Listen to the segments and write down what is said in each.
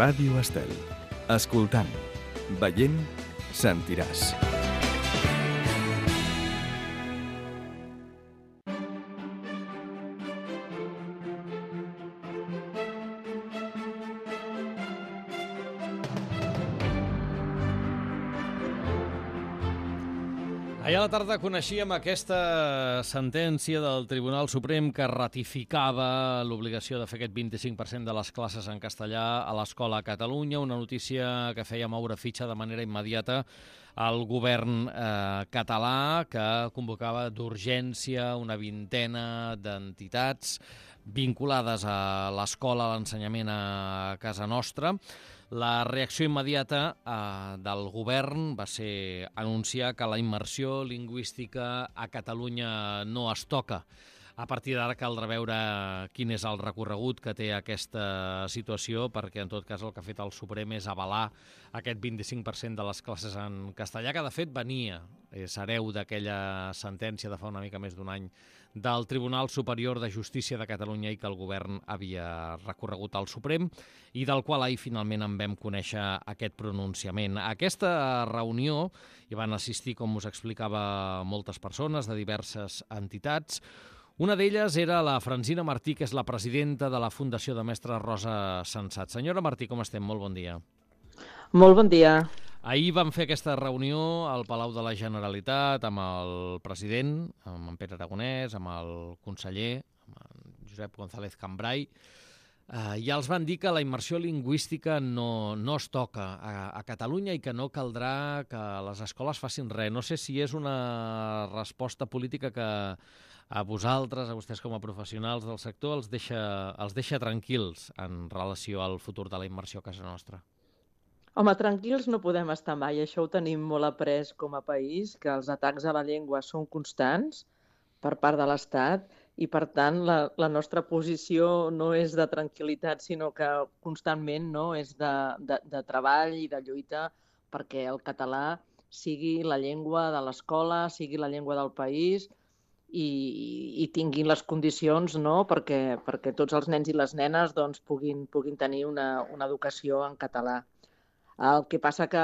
Ràdio Estel. Escoltant, veient, sentiràs. Ahir a la tarda coneixíem aquesta sentència del Tribunal Suprem que ratificava l'obligació de fer aquest 25% de les classes en castellà a l'escola a Catalunya, una notícia que feia moure fitxa de manera immediata al govern català, que convocava d'urgència una vintena d'entitats vinculades a l'escola, a l'ensenyament a casa nostra. La reacció immediata del govern va ser anunciar que la immersió lingüística a Catalunya no es toca. A partir d'ara caldrà veure quin és el recorregut que té aquesta situació, perquè en tot cas el que ha fet el Suprem és avalar aquest 25% de les classes en castellà, que de fet venia, és hereu d'aquella sentència de fa una mica més d'un any del Tribunal Superior de Justícia de Catalunya i que el govern havia recorregut al Suprem i del qual ahir finalment en vam conèixer aquest pronunciament. A aquesta reunió hi van assistir, com us explicava, moltes persones de diverses entitats. Una d'elles era la Francina Martí, que és la presidenta de la Fundació de Mestres Rosa Sensat. Senyora Martí, com estem? Molt bon dia. Molt bon dia. Ahir vam fer aquesta reunió al Palau de la Generalitat amb el president, amb en Pere Aragonès, amb el conseller, amb en Josep González Cambray. Ja els van dir que la immersió lingüística no es toca a Catalunya i que no caldrà que les escoles facin res. No sé si és una resposta política que a vosaltres, a vostès com a professionals del sector, els deixa tranquils en relació al futur de la immersió a casa nostra. Home, tranquils no podem estar mai, això ho tenim molt après com a país, que els atacs a la llengua són constants per part de l'Estat i, per tant, la nostra posició no és de tranquil·litat, sinó que constantment és de treball i de lluita perquè el català sigui la llengua de l'escola, sigui la llengua del país i tinguin les condicions perquè tots els nens i les nenes puguin tenir una educació en català. El que passa que,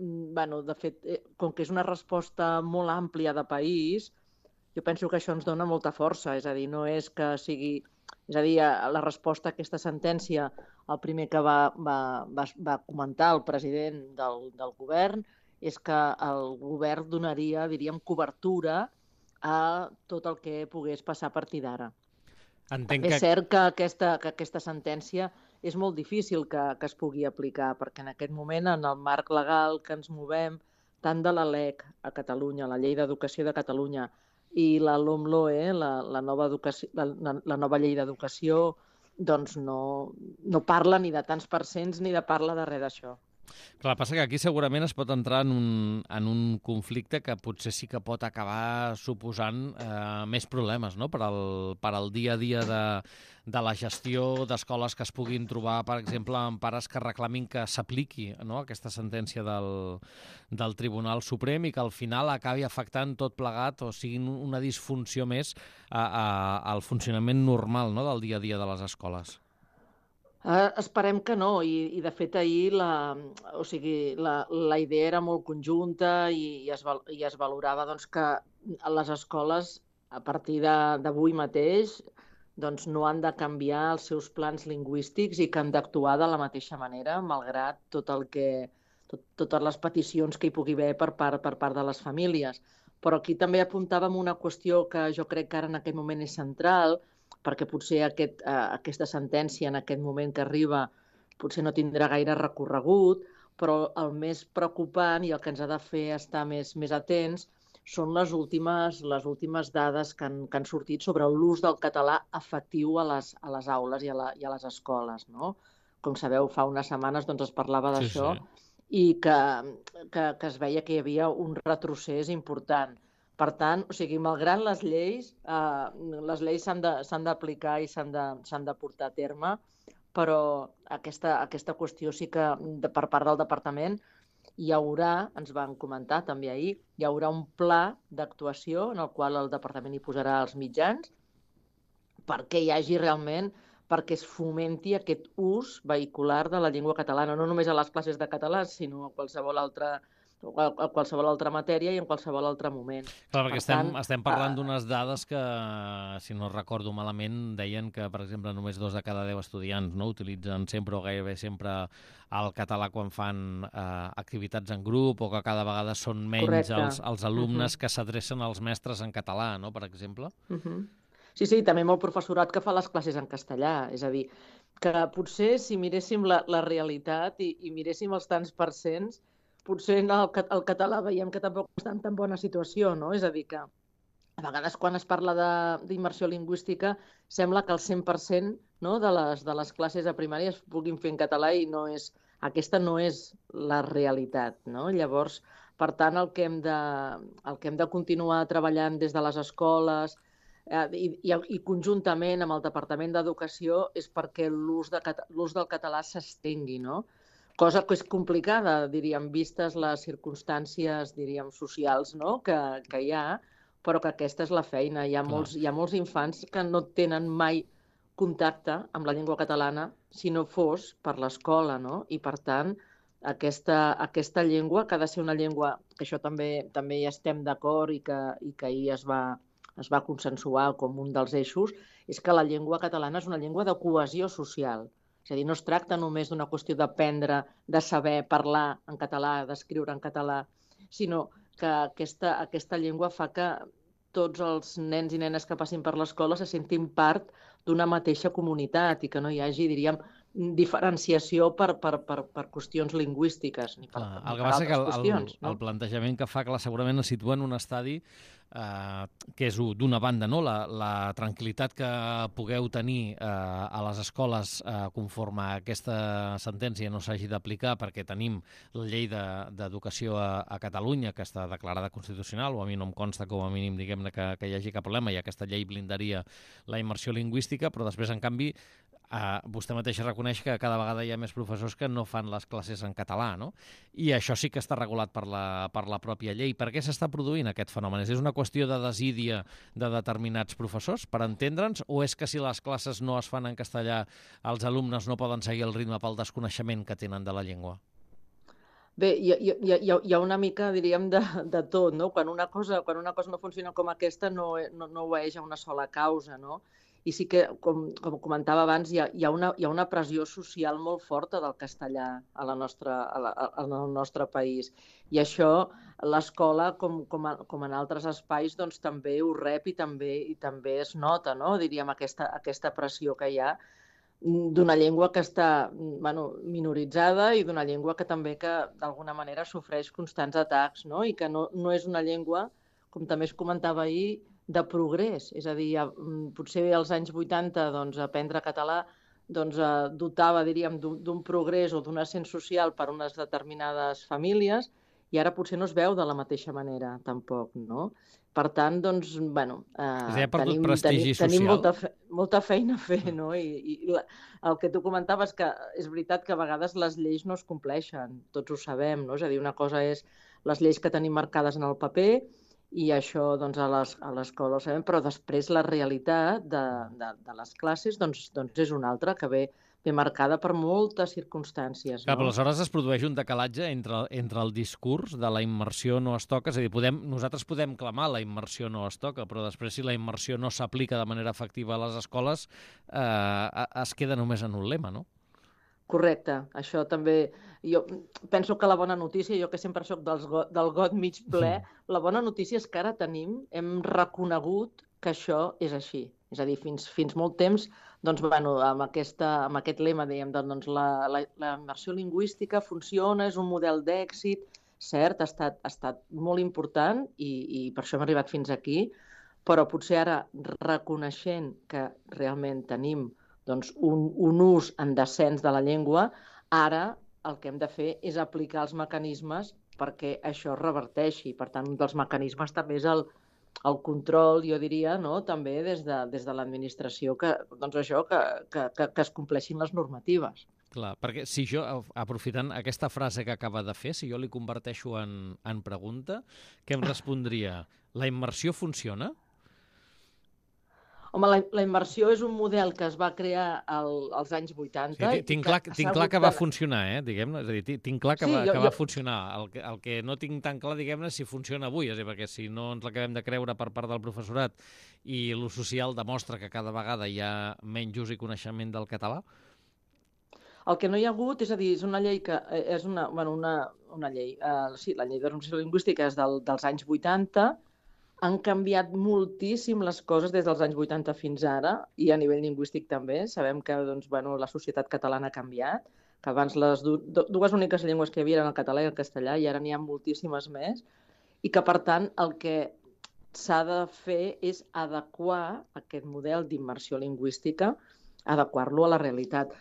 de fet, com que és una resposta molt àmplia de país, jo penso que això ens dona molta força, és a dir, no és que sigui... És a dir, la resposta a aquesta sentència, el primer que va comentar el president del govern és que el govern donaria, diríem, cobertura a tot el que pogués passar a partir d'ara. És cert que aquesta sentència és molt difícil que es pugui aplicar, perquè en aquest moment, en el marc legal que ens movem, tant de la LEC a Catalunya, la Llei d'Educació de Catalunya, i la LOMLOE, la nova llei d'educació, doncs no parla ni de tants percents ni de parla de res d'això. Clar, passa que aquí segurament es pot entrar en un conflicte que potser sí que pot acabar suposant més problemes, no? per al dia a dia de la gestió d'escoles que es puguin trobar, per exemple, amb pares que reclamin que s'apliqui aquesta sentència del Tribunal Suprem i que al final acabi afectant tot plegat o sigui una disfunció més al funcionament normal del dia a dia de les escoles. Esperem que no, i de fet ahir la idea era molt conjunta i es valorava que les escoles a partir d'avui mateix no han de canviar els seus plans lingüístics i que han d'actuar de la mateixa manera, malgrat totes les peticions que hi pugui haver per part de les famílies. Però aquí també apuntàvem una qüestió que jo crec que ara en aquest moment és central, perquè potser aquesta sentència en aquest moment que arriba potser no tindrà gaire recorregut, però el més preocupant i el que ens ha de fer estar més atents són les últimes dades que han sortit sobre l'ús del català efectiu a les aules i a les escoles. Com sabeu, fa unes setmanes es parlava d'això i que es veia que hi havia un retrocés important. Per tant, malgrat les lleis s'han d'aplicar i s'han de portar a terme, però aquesta qüestió sí que per part del departament hi haurà, ens van comentar també ahir, hi haurà un pla d'actuació en el qual el departament hi posarà els mitjans perquè hi hagi realment perquè es fomenti aquest ús vehicular de la llengua catalana, no només a les classes de català, sinó a qualsevol altra matèria i en qualsevol altre moment. Clar, perquè estem parlant d'unes dades que, si no recordo malament, deien que, per exemple, només 2 de cada 10 estudiants utilitzen sempre o gairebé sempre el català quan fan activitats en grup, o que cada vegada són menys els alumnes que s'adrecen als mestres en català, no?, per exemple. Sí, també molt professorat que fa les classes en castellà. És a dir, que potser si miréssim la realitat i miréssim els tants percents, potser el català veiem que tampoc està en tan bona situació, no? És a dir, que a vegades quan es parla d'immersió lingüística sembla que el 100% de les classes a primària es puguin fer en català i aquesta no és la realitat, no? Llavors, per tant, el que hem de continuar treballant des de les escoles i conjuntament amb el Departament d'Educació és perquè l'ús del català s'estengui, no? Cosa que és complicada, diríem, vistes les circumstàncies, diríem, socials, no?, que hi ha, però que aquesta és la feina. Hi ha molts infants que no tenen mai contacte amb la llengua catalana si no fos per l'escola, no? I, per tant, aquesta llengua, que ha de ser una llengua, que això també hi estem d'acord i que ahir es va consensuar com un dels eixos, és que la llengua catalana és una llengua de cohesió social. És a dir, no es tracta només d'una qüestió d'aprendre, de saber parlar en català, d'escriure en català, sinó que aquesta llengua fa que tots els nens i nenes que passin per l'escola se sentin part d'una mateixa comunitat i que no hi hagi, diríem, diferenciació per qüestions lingüístiques. El que passa que el plantejament que fa, segurament es situa en un estadi que és, d'una banda, la tranquil·litat que pugueu tenir a les escoles conforme aquesta sentència no s'hagi d'aplicar, perquè tenim la llei d'educació a Catalunya, que està declarada constitucional, o a mi no em consta com a mínim, diguem-ne, que hi hagi cap problema, i aquesta llei blindaria la immersió lingüística, però després, en canvi, vostè mateixa reconeix que cada vegada hi ha més professors que no fan les classes en català, no? I això sí que està regulat per la pròpia llei. Per què s'està produint aquest fenomen? És una qüestió de desídia de determinats professors, per entendre'ns, o és que si les classes no es fan en castellà, els alumnes no poden seguir el ritme pel desconeixement que tenen de la llengua? Bé, hi ha una mica, diríem, de tot, no? Quan una cosa no funciona com aquesta, no obeeix a una sola causa, no? I sí que, com comentava abans, hi ha una pressió social molt forta del castellà al nostre país. I això l'escola, com en altres espais, doncs també ho rep i també es nota, no? Diríem, aquesta pressió que hi ha d'una llengua que està minoritzada i d'una llengua que també d'alguna manera sofreix constants atacs, no? I que no és una llengua, com també es comentava ahir, de progrés. És a dir, potser als anys 80 aprendre català dotava, diríem, d'un progrés o d'un ascens social per a unes determinades famílies i ara potser no es veu de la mateixa manera, tampoc, no? Per tant, tenim molta feina a fer, no? I el que tu comentaves, que és veritat que a vegades les lleis no es compleixen, tots ho sabem, no? És a dir, una cosa és les lleis que tenim marcades en el paper i això a l'escola ho sabem, però després la realitat de les classes és una altra que ve marcada per moltes circumstàncies. Clar, però aleshores es produeix un decalatge entre el discurs de la immersió no es toca, és a dir, nosaltres podem clamar la immersió no es toca, però després si la immersió no s'aplica de manera efectiva a les escoles es queda només en un lema, no? Correcte, això també. Jo penso que la bona notícia, jo que sempre soc del got mig ple, la bona notícia és que ara hem reconegut que això és així. És a dir, fins molt temps, amb aquest lema, dèiem, la immersió lingüística funciona, és un model d'èxit, cert, ha estat molt important i per això hem arribat fins aquí, però potser ara, reconeixent que realment tenim un ús en descens de la llengua, ara el que hem de fer és aplicar els mecanismes perquè això es reverteixi. Per tant, un dels mecanismes també és el control, jo diria, també des de l'administració, que es compleixin les normatives. Clar, perquè si jo, aprofitant aquesta frase que acaba de fer, si jo li converteixo en pregunta, què em respondria? La immersió funciona? Home, la immersió és un model que es va crear als anys 80. Sí, tinc clar que va funcionar, diguem-ne. És a dir, tinc clar que va funcionar. El que no tinc tan clar, diguem-ne, si funciona avui, és a dir, perquè si no ens l'acabem de creure per part del professorat i l'ús social demostra que cada vegada hi ha menys ús i coneixement del català. El que no hi ha hagut, és a dir, és una llei que és una llei, sí, la llei de normalització lingüística és dels anys 80, han canviat moltíssim les coses des dels anys 80 fins ara, i a nivell lingüístic també. Sabem que la societat catalana ha canviat, que abans les dues úniques llengües que hi havia eren el català i el castellà, i ara n'hi ha moltíssimes més, i que, per tant, el que s'ha de fer és adequar aquest model d'immersió lingüística, adequar-lo a la realitat.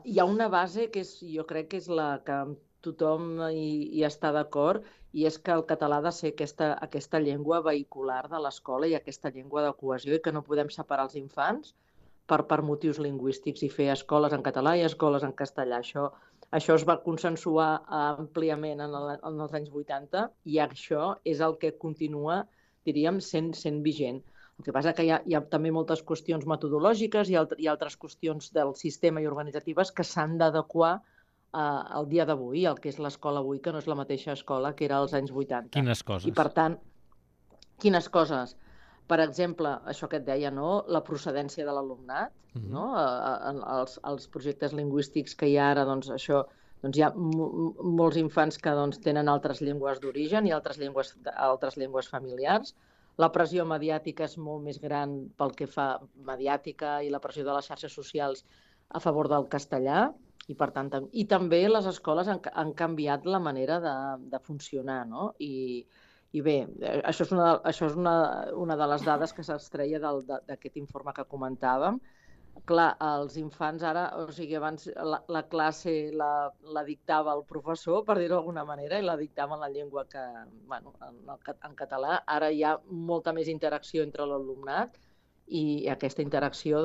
Hi ha una base que jo crec que és la que tothom hi està d'acord, i és que el català ha de ser aquesta llengua vehicular de l'escola i aquesta llengua de cohesió, i que no podem separar els infants per motius lingüístics i fer escoles en català i escoles en castellà. Això es va consensuar àmpliament en els anys 80, i això és el que continua, diríem, sent vigent. El que passa que hi ha també moltes qüestions metodològiques i altres qüestions del sistema i organitzatives que s'han d'adequar al dia d'avui, el que és l'escola avui, que no és la mateixa escola que era als anys 80. Quines coses? I, per tant, quines coses? Per exemple, això que et deia, no? La procedència de l'alumnat, no? Els projectes lingüístics que hi ha ara, hi ha molts infants que tenen altres llengües d'origen i altres llengües familiars. La pressió mediàtica és molt més gran pel que fa mediàtica i la pressió de les xarxes socials a favor del castellà, i també les escoles han canviat la manera de funcionar, no? I bé, això és una de les dades que s'extreia d'aquest informe que comentàvem. Clar, els infants ara, abans la classe la dictava el professor, per dir-ho d'alguna manera, i la dictava en la llengua en català. Ara hi ha molta més interacció entre l'alumnat, i aquesta interacció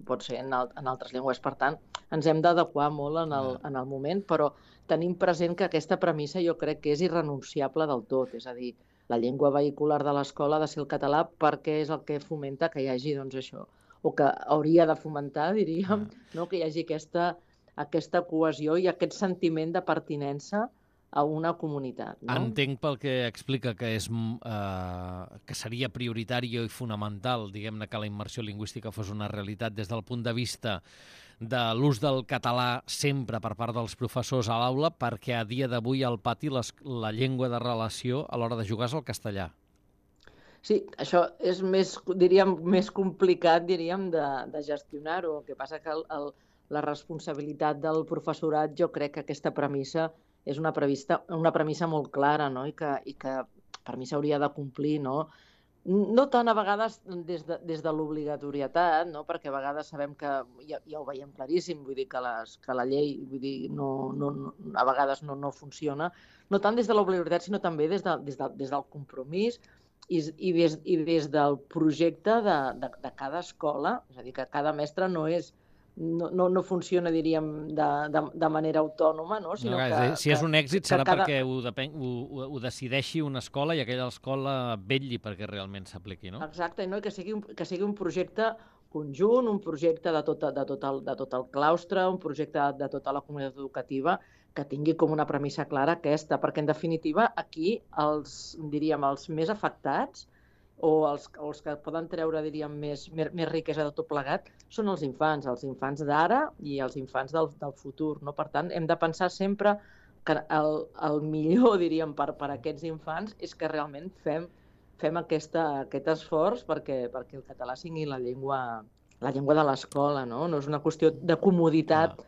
pot ser en altres llengües. Per tant, ens hem d'adequar molt en el moment, però tenim present que aquesta premissa jo crec que és irrenunciable del tot. És a dir, la llengua vehicular de l'escola ha de ser el català, perquè és el que fomenta que hi hagi això, o que hauria de fomentar, diríem, que hi hagi aquesta cohesió i aquest sentiment de pertinença a una comunitat. Entenc pel que explica que seria prioritari i fonamental, diguem-ne, que la immersió lingüística fos una realitat des del punt de vista de l'ús del català sempre per part dels professors a l'aula, perquè a dia d'avui al pati la llengua de relació a l'hora de jugar és el castellà. Sí, això és més complicat, diríem, de gestionar-ho. El que passa que la responsabilitat del professorat, jo crec que aquesta premissa és una premissa molt clara, no? I que per mi s'hauria de complir, no? No tant a vegades des de l'obligatorietat, no? Perquè a vegades sabem que ja ho veiem claríssim, vull dir que la llei a vegades no funciona, no tant des de l'obligatorietat, sinó també des del compromís i des del projecte de cada escola. És a dir, que cada mestre no funciona, diríem, de manera autònoma, no? Sinó que si és un èxit serà perquè ho decideixi una escola i aquella escola vetlli perquè realment s'apliqui, no? Exacte, no? I que sigui un projecte conjunt, un projecte de tot el claustre, un projecte de tota la comunitat educativa, que tingui com una premissa clara aquesta, perquè en definitiva aquí els més afectats o els que poden treure, diríem, més riquesa de tot plegat són els infants d'ara i els infants del futur, no? Per tant, hem de pensar sempre que el millor, diríem, per aquests infants és que realment fem aquest esforç perquè el català sigui la llengua de l'escola, no? No és una qüestió de comoditat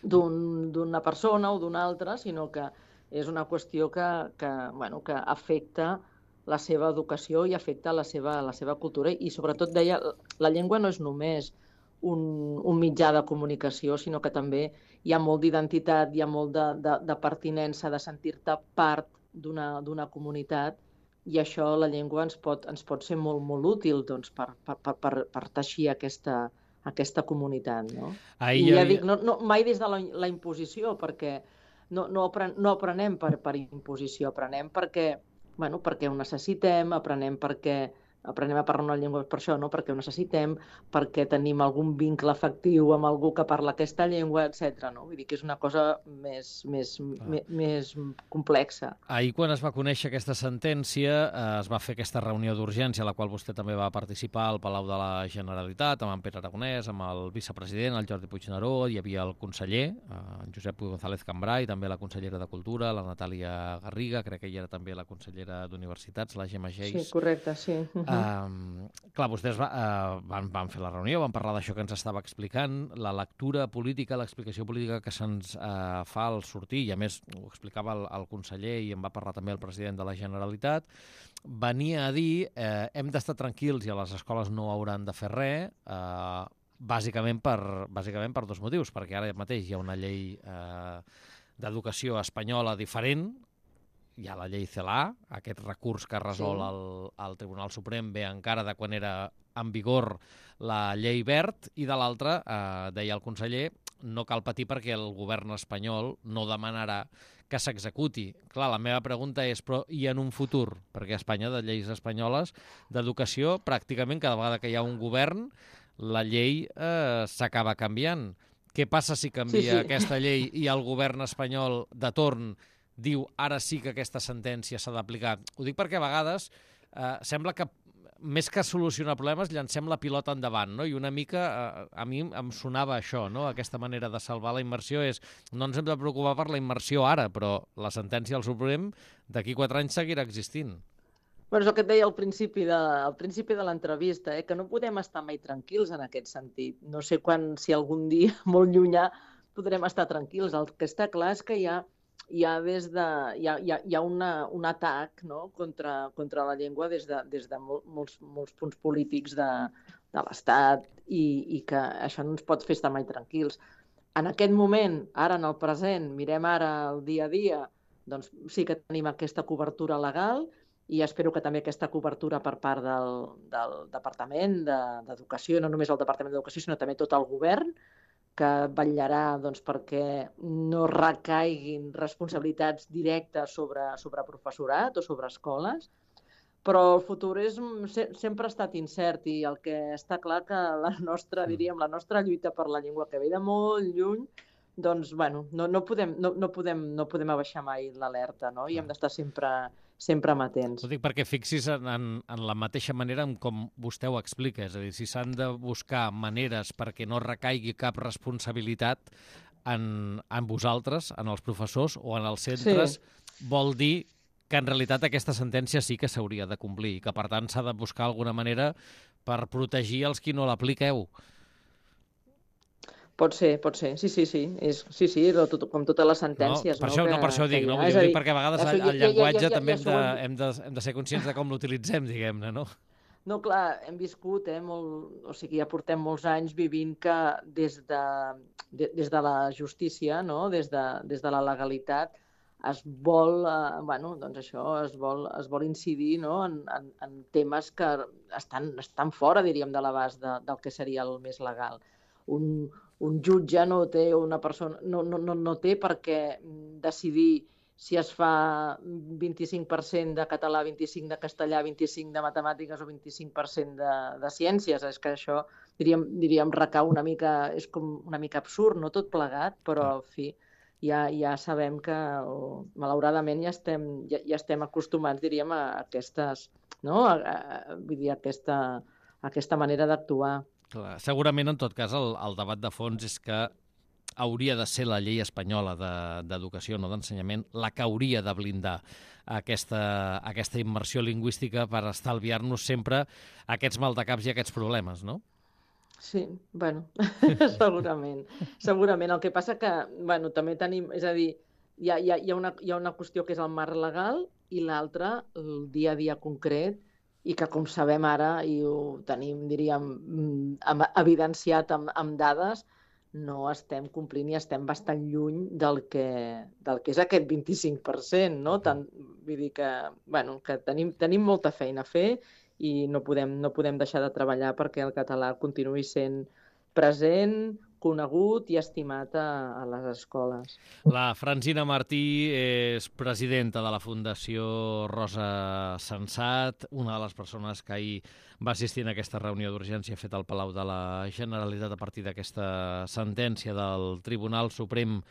d'una persona o d'una altra, sinó que és una qüestió que afecta la seva educació i afecta la seva cultura. I sobretot, deia, la llengua no és només un mitjà de comunicació, sinó que també hi ha molt d'identitat, hi ha molt de pertinença, de sentir-te part d'una comunitat, i això, la llengua, ens pot ser molt, molt útil per teixir aquesta comunitat, no? I ja dic, mai des de la imposició, perquè no aprenem per imposició, aprenem perquè ho necessitem, aprenem perquè aprenem a parlar una llengua per això, no? Perquè ho necessitem, perquè tenim algun vincle afectiu amb algú que parla aquesta llengua, etc. No? Vull dir que és una cosa més complexa. Ahir, quan es va conèixer aquesta sentència, es va fer aquesta reunió d'urgència a la qual vostè també va participar al Palau de la Generalitat, amb en Pere Aragonès, amb el vicepresident, el Jordi Puigneró, hi havia el conseller, en Josep González Cambray, també la consellera de Cultura, la Natàlia Garriga, crec que ella era també la consellera d'Universitats, la Gemma Geis. Sí, correcte, sí. Clar, vostès van fer la reunió, van parlar d'això que ens estava explicant, la lectura política, l'explicació política que se'ns fa al sortir, i a més ho explicava el conseller i en va parlar també el president de la Generalitat, venia a dir hem d'estar tranquils i a les escoles no hauran de fer res, bàsicament per dos motius, perquè ara mateix hi ha una llei d'educació espanyola diferent, hi ha la llei CELA, aquest recurs que resol el Tribunal Suprem ve encara de quan era en vigor la llei Wert, i de l'altra, deia el conseller, no cal patir perquè el govern espanyol no demanarà que s'executi. Clar, la meva pregunta és, però i en un futur? Perquè a Espanya, de lleis espanyoles d'educació, pràcticament cada vegada que hi ha un govern, la llei s'acaba canviant. Què passa si canvia aquesta llei i el govern espanyol de torn diu ara sí que aquesta sentència s'ha d'aplicar? Ho dic perquè a vegades sembla que més que solucionar problemes llancem la pilota endavant, no? I una mica a mi em sonava això, no? Aquesta manera de salvar la immersió és no ens hem de preocupar per la immersió ara, però la sentència del Suprem d'aquí 4 anys seguirà existint. Bueno, és el que et deia al principi de l'entrevista, que no podem estar mai tranquils en aquest sentit. No sé si algun dia molt llunyà podrem estar tranquils. El que està clar és que hi ha un atac, no? contra la llengua des de molts punts polítics de l'Estat i que això no ens pot fer estar mai tranquils. En aquest moment, ara en el present, mirem ara el dia a dia, doncs sí que tenim aquesta cobertura legal i espero que també aquesta cobertura per part del Departament d'Educació, no només el Departament d'Educació, sinó també tot el govern, que vetllarà perquè no recaiguin responsabilitats directes sobre professorat o sobre escoles, però el futur sempre ha estat incert i el que està clar que la nostra lluita per la llengua, que ve de molt lluny, doncs, bueno, no podem abaixar mai l'alerta, no? I hem d'estar sempre amatents. Ho dic perquè fixis en la mateixa manera en com vostè ho explica, és a dir, si s'han de buscar maneres perquè no recaigui cap responsabilitat en vosaltres, en els professors o en els centres, vol dir que en realitat aquesta sentència sí que s'hauria de complir i que per tant s'ha de buscar alguna manera per protegir els qui no l'apliqueu. Pot ser, sí. Sí, com totes les sentències. Per això ho dic, no? Vull dir, perquè a vegades el llenguatge també hem de ser conscients de com l'utilitzem, diguem-ne, no? No, clar, hem viscut, ja portem molts anys vivint que des de la justícia, no? des de la legalitat, es vol, es vol incidir, no? en temes que estan fora, diríem, de l'abast del que seria el més legal. Un jutge no té per què decidir si es fa 25% de català, 25% de castellà, 25% de matemàtiques o 25% de ciències. És que això, diríem, recau una mica, és com una mica absurd, no tot plegat, però, en fi, ja sabem que, malauradament, ja estem acostumats, diríem, a aquestes, no? Vull dir, aquesta manera d'actuar. Clar, segurament, en tot cas, el debat de fons és que hauria de ser la llei espanyola d'educació, no d'ensenyament, la que hauria de blindar aquesta immersió lingüística per estalviar-nos sempre aquests maldecaps i aquests problemes, no? Sí, bueno, segurament. El que passa que, també tenim, és a dir, hi ha una qüestió que és el marc legal i l'altra, el dia a dia concret, i que, com sabem ara, i ho tenim, diríem, evidenciat amb dades, no estem complint i estem bastant lluny del que és aquest 25%, no? Vull dir que tenim molta feina a fer i no podem deixar de treballar perquè el català continuï sent present, conegut i estimat a les escoles. La Francina Martí és presidenta de la Fundació Rosa Sensat, una de les persones que ahir va assistir en aquesta reunió d'urgència feta al Palau de la Generalitat a partir d'aquesta sentència del Tribunal Suprem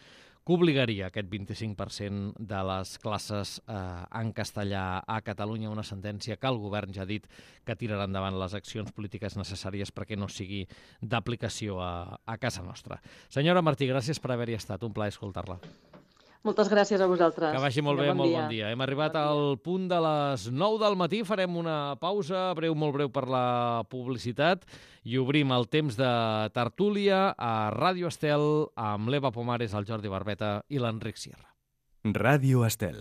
que obligaria aquest 25% de les classes en castellà a Catalunya, una sentència que el govern ja ha dit que tirarà endavant les accions polítiques necessàries perquè no sigui d'aplicació a casa nostra. Senyora Martí, gràcies per haver-hi estat. Un plaer escoltar-la. Moltes gràcies a vosaltres. Que vagi molt bé, molt bon dia. Hem arribat al punt de les 9 del matí, farem una pausa molt breu per la publicitat i obrim el temps de tertúlia a Ràdio Estel amb l'Eva Pomares, el Jordi Barbeta i l'Enric Sierra. Ràdio Estel.